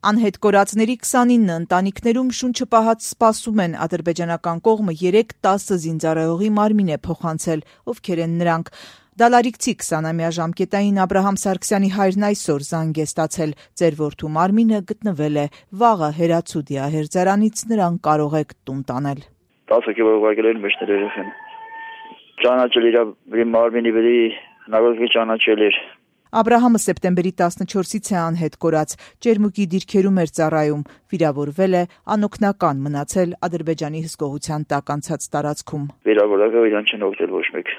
Անհետ կորածների 29 ընտանիքներում շունչը պահած սպասում են, ադրբեջանական կողմը 3-10 զինծառայողի մարմին է փոխանցել, ովքեր են նրանք։ Դալարիկցի 20-ամյա ժամկետային Աբրահամ Սարգսյանի հայրն այսօր զանգ է ստացել. ձեր որդու մարմինը գտնվել է, վաղը Հերացու դիահերձարանից նրան կարող եք տուն տանել։ 10 հոգևոր ուղարկել են մեջներ երեխան։ Ճանաչել իր մարմինի վրա հնարավոր ճանաչել էր։ Աբրահամը սեպտեմբերի 14-ից է անհետ կորած, Ճերմուկի դիրքերում էր ծառայում, վիրավորվել է, անօգնական մնացել Ադրբեջանի հսկողության տակ անցած տարածքում։ Վիրավորակը իրան չեն օգնել ոչ մեկ։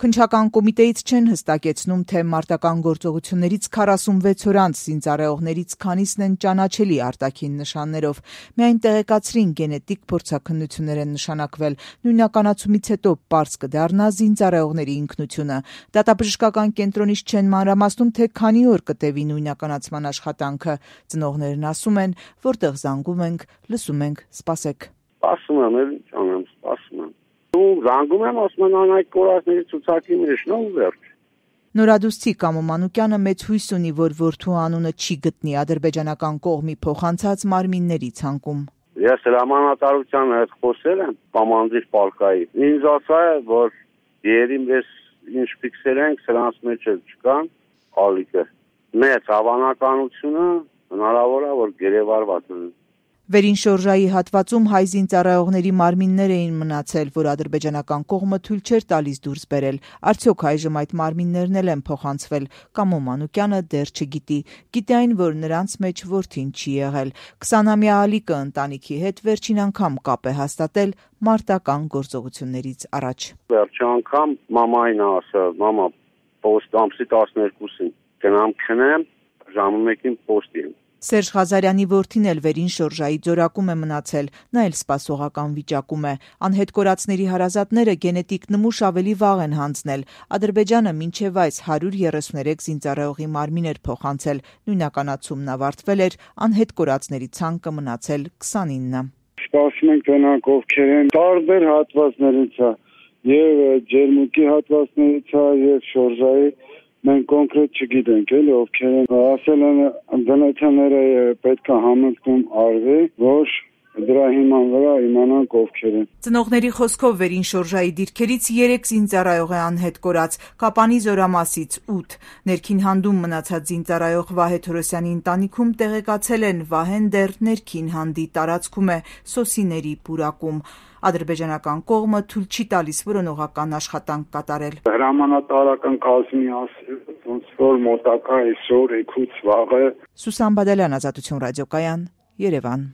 Քննչական կոմիտեից չեն հստակեցնում, թե մարտական գործողություններից 46 օր անց զինծառայողներից քանիսն են ճանաչելի արտաքին նշաններով։ Միայն տեղեկացրին գենետիկ փորձաքննություններ են նշանակվել։ Նույնականացումից հետո պարզ կդառնա զինծառայողների ինքնությունը։ Դատաբժշկական կենտրոնից չեն մանրամասնում, թե քանի օր կտևի նույնականացման աշխատանքը։ Ծնողներն ասում են, որտեղ զանգում ենք, լսում ենք, սպասեք։ Սպասում եմ, սպասում եմ։ Զանգում եմ, ասում են անհայտ կորածների ցուցակի մեջ, վերջ։ Նորադուստի Կամո Մանուկյանը մեծ հույս ունի, որ որդու անունը չի գտնի ադրբեջանական կողմի փոխանցած մարմինների ցանկում։ Ես հրամանատարության հետ խոսել եմ կոմանդիր պալկայի։ Ինձ ասա է, որ երիմ ես ինչ ֆիքսել ենք, սրանց մեջ էլ չկան ալիքը։ Մեծ հավանականությունը հնարավոր է, որ գերեվարված են։ Վերին շորժայի հատվածում հայ զինծառայողների մարմիններ էին մնացել, որ ադրբեջանական կողմը թույլ չէր տալիս դուրս բերել։ Արդյոք այժմ այդ մարմիններն էլ են փոխանցվել։ Կամո Մանուկյանը դեռ չգիտի։ Գիտի այն, որ նրանց մեջ որդին չի եղել։ 20-ամյա Ալիկը ընտանիքի հետ վերջին անգամ կապ է հաստատել մարտական գործողություններից առաջ։ Վերջին անգամ մամային ասա, մամա, պոստ ամսի 12-ին գնամ քնեմ, ժամը 1-ին պոստի եմ։ Սերժ Ղազարյանի որդին էլ վերին շորժայի ձորակում է մնացել, նա էլ սպասողական վիճակում է։ Անհետ կորածների հարազատները գենետիկ նմուշ ավելի վաղ են հանձնել։ Ադրբեջանը մինչև այս 133 զինծառայողի մարմին էր փոխանցել, նույնականացումն ավարտվել էր, անհետ կորածների ցանկը մնացել 29։ Սպասում ենք նրանք ովքեր են տարբեր հատվածներից է, եւ Ջերմուկի հատվածներից է, եւ շորժայի մենք կոնկրետ չգիտենք, էլի ովքեր են, ասել են բնութները պետք է համընկնում արվի, որ դրա հիման վրա իմանանք ովքեր են։ Ծնողների խոսքով վերին շորժայի դիրքերից 3 զինծառայող է անհետ կորած, Կապանի զորամասից 8։ Ներքին հանդում մնացած զինծառայող Վահե Թորոսյանի ընտանիքում տեղեկացել են, Վահեն դեռ ներքին հանդի տարածքում է, Սոսիների պուրակում։ Ադրբեջանական կողմը թույլ չի տալիս որոնողական աշխատանք կատարել։ Հրամանատարական կազմի ասել, ոնց որ մոտակա այսօր, էգուց վաղը։ Սուսան Բադալյան, Ազատություն ռադիոկայան, Երևան։